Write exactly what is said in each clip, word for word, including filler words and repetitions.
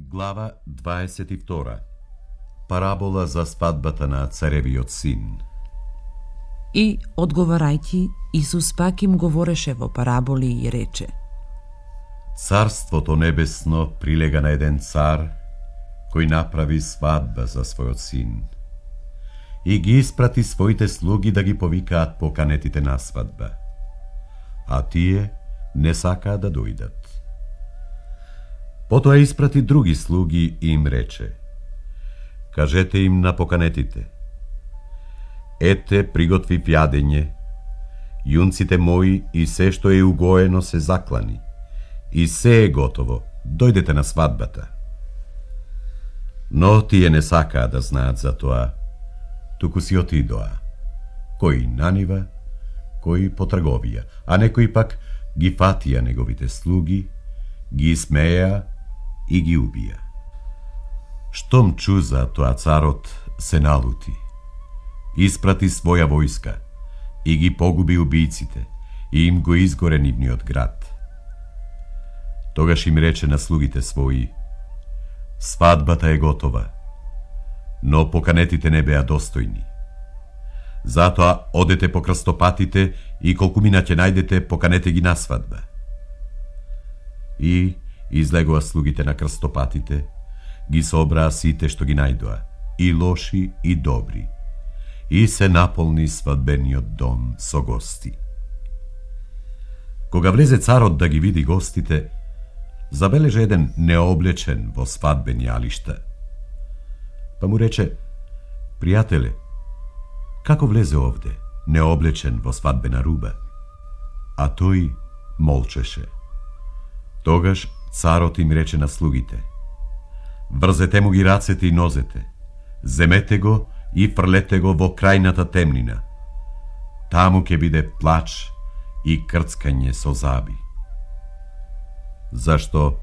Глава дваесет и втора. Парабола за свадбата на царевиот син. И, одговарајќи, Исус пак им говореше во параболи и рече: Царството небесно прилега на еден цар кој направи свадба за својот син и ги испрати своите слуги да ги повикаат поканетите на свадба, а тие не сакаа да дојдат. Потоа испрати други слуги и им рече: кажете им на поканетите: ете, приготвив јадење, јунците мои и се што е угоено се заклани, и се е готово, дојдете на свадбата. Но тие не сакаа да знаат за тоа, туку си отидоа, кои на нива, кои по трговија, а некои пак ги фатија неговите слуги, ги смеја и ги убија. Штом чу за тоа, царот се налути, испрати своја војска и ги погуби убијците и им го изгоре нивниот град. Тогаш им рече на слугите своји: свадбата е готова, но поканетите не беа достојни. Затоа одете по крстопатите и колку мина ќе најдете, поканете ги на свадба. И излегоа слугите на крстопатите, ги собраа сите што ги најдоа, и лоши и добри, и се наполни свадбениот дом со гости. Кога влезе царот да ги види гостите, забележа еден необлечен во свадбени алишта. Па му рече: пријателе, како влезе овде, необлечен во свадбена руба? А тој молчеше. Тогаш царот им рече на слугите: врзете му ги рацете и нозете, земете го и фрлете го во крајната темнина. Таму ќе биде плач и крцкање со заби. Зашто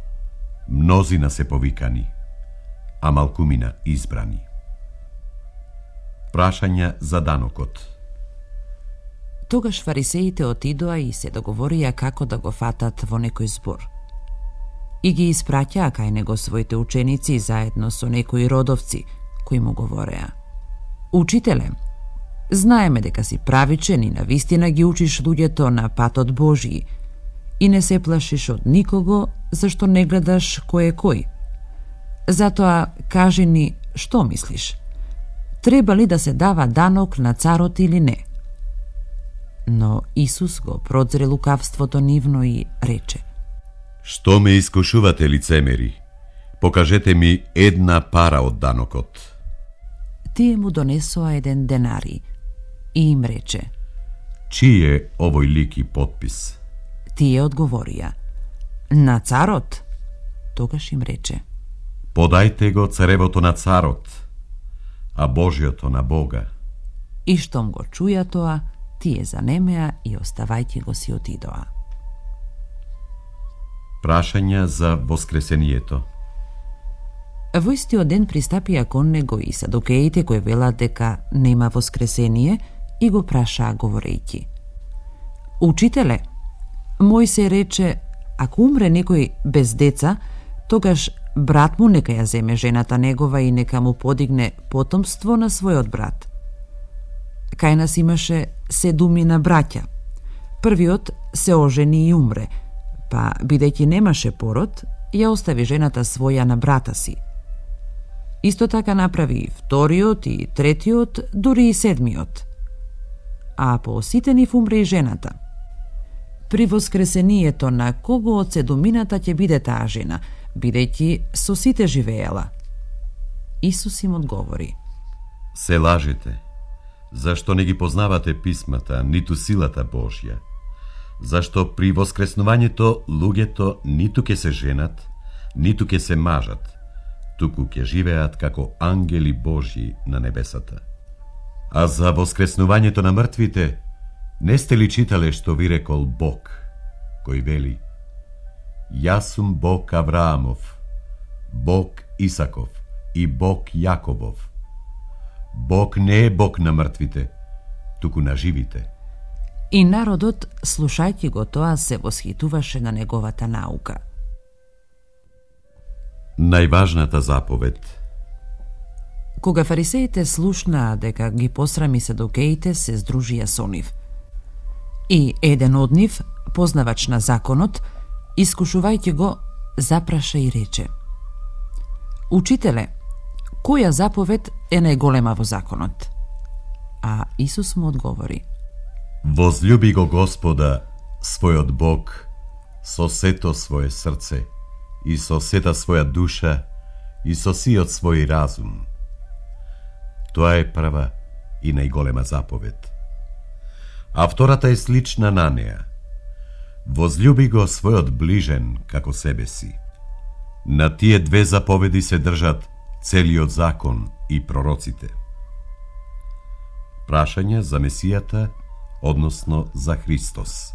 мнозина се повикани, а малкумина избрани. Прашања за данокот. Тогаш фарисеите отидоа и се договорија како да го фатат во некој збор. И ги испраќаа кај него своите ученици заедно со некои родовци, кои му говореа: Учителе, знаеме дека си правичен и навистина ги учиш луѓето на патот Божји и не се плашиш од никого, зашто не гледаш кој е кој. Затоа кажи ни, што мислиш? Треба ли да се дава данок на царот или не? Но Исус го прозре лукавството нивно и рече: Што ме искушувате, лицемери? Покажете ми една пара од данокот. Тие му донесоа еден денари и им рече: Чиј е овој лик и потпис? Тие одговорија: на царот. Тогаш им рече: Подајте го царевото на царот, а Божјото на Бога. И штом го чуја тоа, тие занемеа и оставајќи го си отидоа. Прашања за воскресението. Во истиот ден пристапија кон него и садукеите кои велат дека нема воскресение и го прашаа говорејќи: Учителе, Мојсе рече, ако умре некој без деца, тогаш брат му нека ја земе жената негова и нека му подигне потомство на својот брат. Кај нас имаше седумина браќа. Првиот се ожени и умре, па бидејќи немаше пород, ја остави жената своја на брата си. Исто така направи и вториот и третиот, дури и седмиот. А по сите нив умре и жената. При воскресението на кого од седумината ќе биде таа жена, бидејќи со сите живеела? Исус им одговори: Се лажете, зашто не ги познавате писмата, ниту силата Божја. Зашто при воскреснувањето луѓето ниту ќе се женат, ниту ќе се мажат, туку ќе живеат како ангели Божји на небесата. А за воскреснувањето на мртвите, не сте ли читале што ви рекол Бог, кој вели: Јас сум Бог Авраамов, Бог Исаков и Бог Јаковов. Бог не е Бог на мртвите, туку на живите. И народот, слушајќи го тоа, се восхитуваше на неговата наука. Најважната заповед. Кога фарисеите слушнаа дека ги посрами седокеите, се здружија со нив. И еден од нив, познавач на законот, искушувајќи го, запраша и рече: Учителе, која заповед е најголема во законот? А Исус му одговори: Возлюби го Господа, својот Бог, со сето свое срце, и со сета своја душа, и со сиот свој разум. Тоа е прва и најголема заповед. А втората е слична на неа. Возлюби го својот ближен како себе си. На тие две заповеди се држат целиот закон и пророците. Прашање за Месијата, односно за Христос.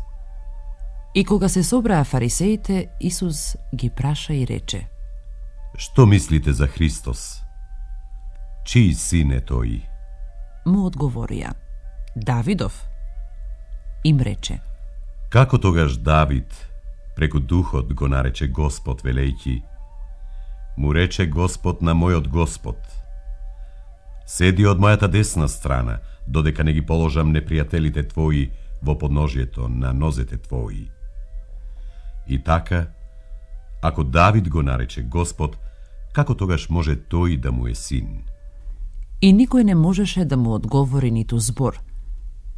И кога се собраа фарисеите, Исус ги праша и рече: Што мислите за Христос? Чиј син е тој? Му одговорија: Давидов. Им рече: Како тогаш Давид преку Духот го нарече Господ, велејќи: Му рече Господ на мојот Господ: Седи од мојата десна страна, додека не ги положам непријателите твои во подножјето на нозете твои. И така, ако Давид го нарече Господ, како тогаш може тој да му е син? И никој не можеше да му одговори ниту збор.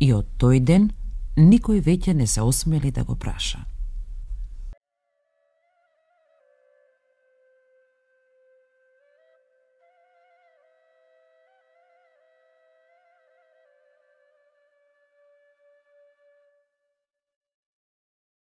И од тој ден никој веќе не се осмели да го праша.